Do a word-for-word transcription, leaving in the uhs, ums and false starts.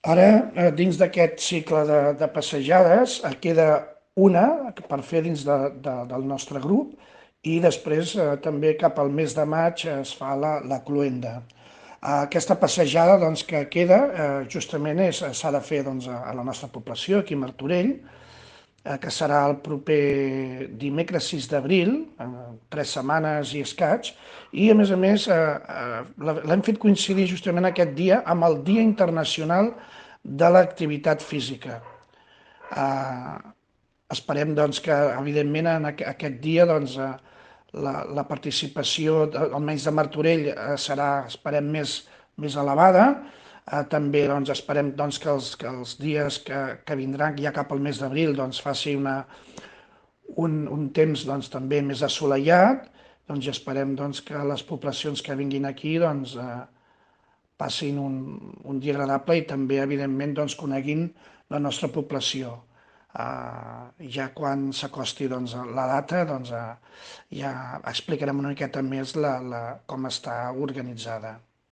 Ara, eh, dins d'aquest cicle de, de passejades, eh, queda una per fer dins de, de, del nostre grup i després eh, també cap al mes de maig es fa la, la cloenda. Eh, Aquesta passejada doncs, que queda eh, justament és- s'ha de fer doncs, a a la nostra població, aquí a Martorell, eh, que serà el proper dimecres sis d'abril, en tres setmanes i escaig, i a més a més eh, eh, la- l'hem fet coincidir justament aquest dia amb el Dia Internacional de l'Activitat Física. Eh, Esperem doncs, que, evidentment, en aqu aquest dia doncs, eh, la, la participació, de, almenys de Martorell, eh, serà, esperem, més, més elevada. Eh, també doncs, esperem doncs, que, els, que els dies que, que vindran, ja cap al mes d'abril, doncs, faci una, un, un temps doncs, també més assolellat, doncs, i esperem doncs, que les poblacions que vinguin aquí doncs, eh, passin un, un dia agradable i també, evidentment, doncs, coneguin la nostra població. Uh, ja quan s'acosti doncs, la data, doncs, uh, ja explicarem una miqueta més la, la, com està organitzada.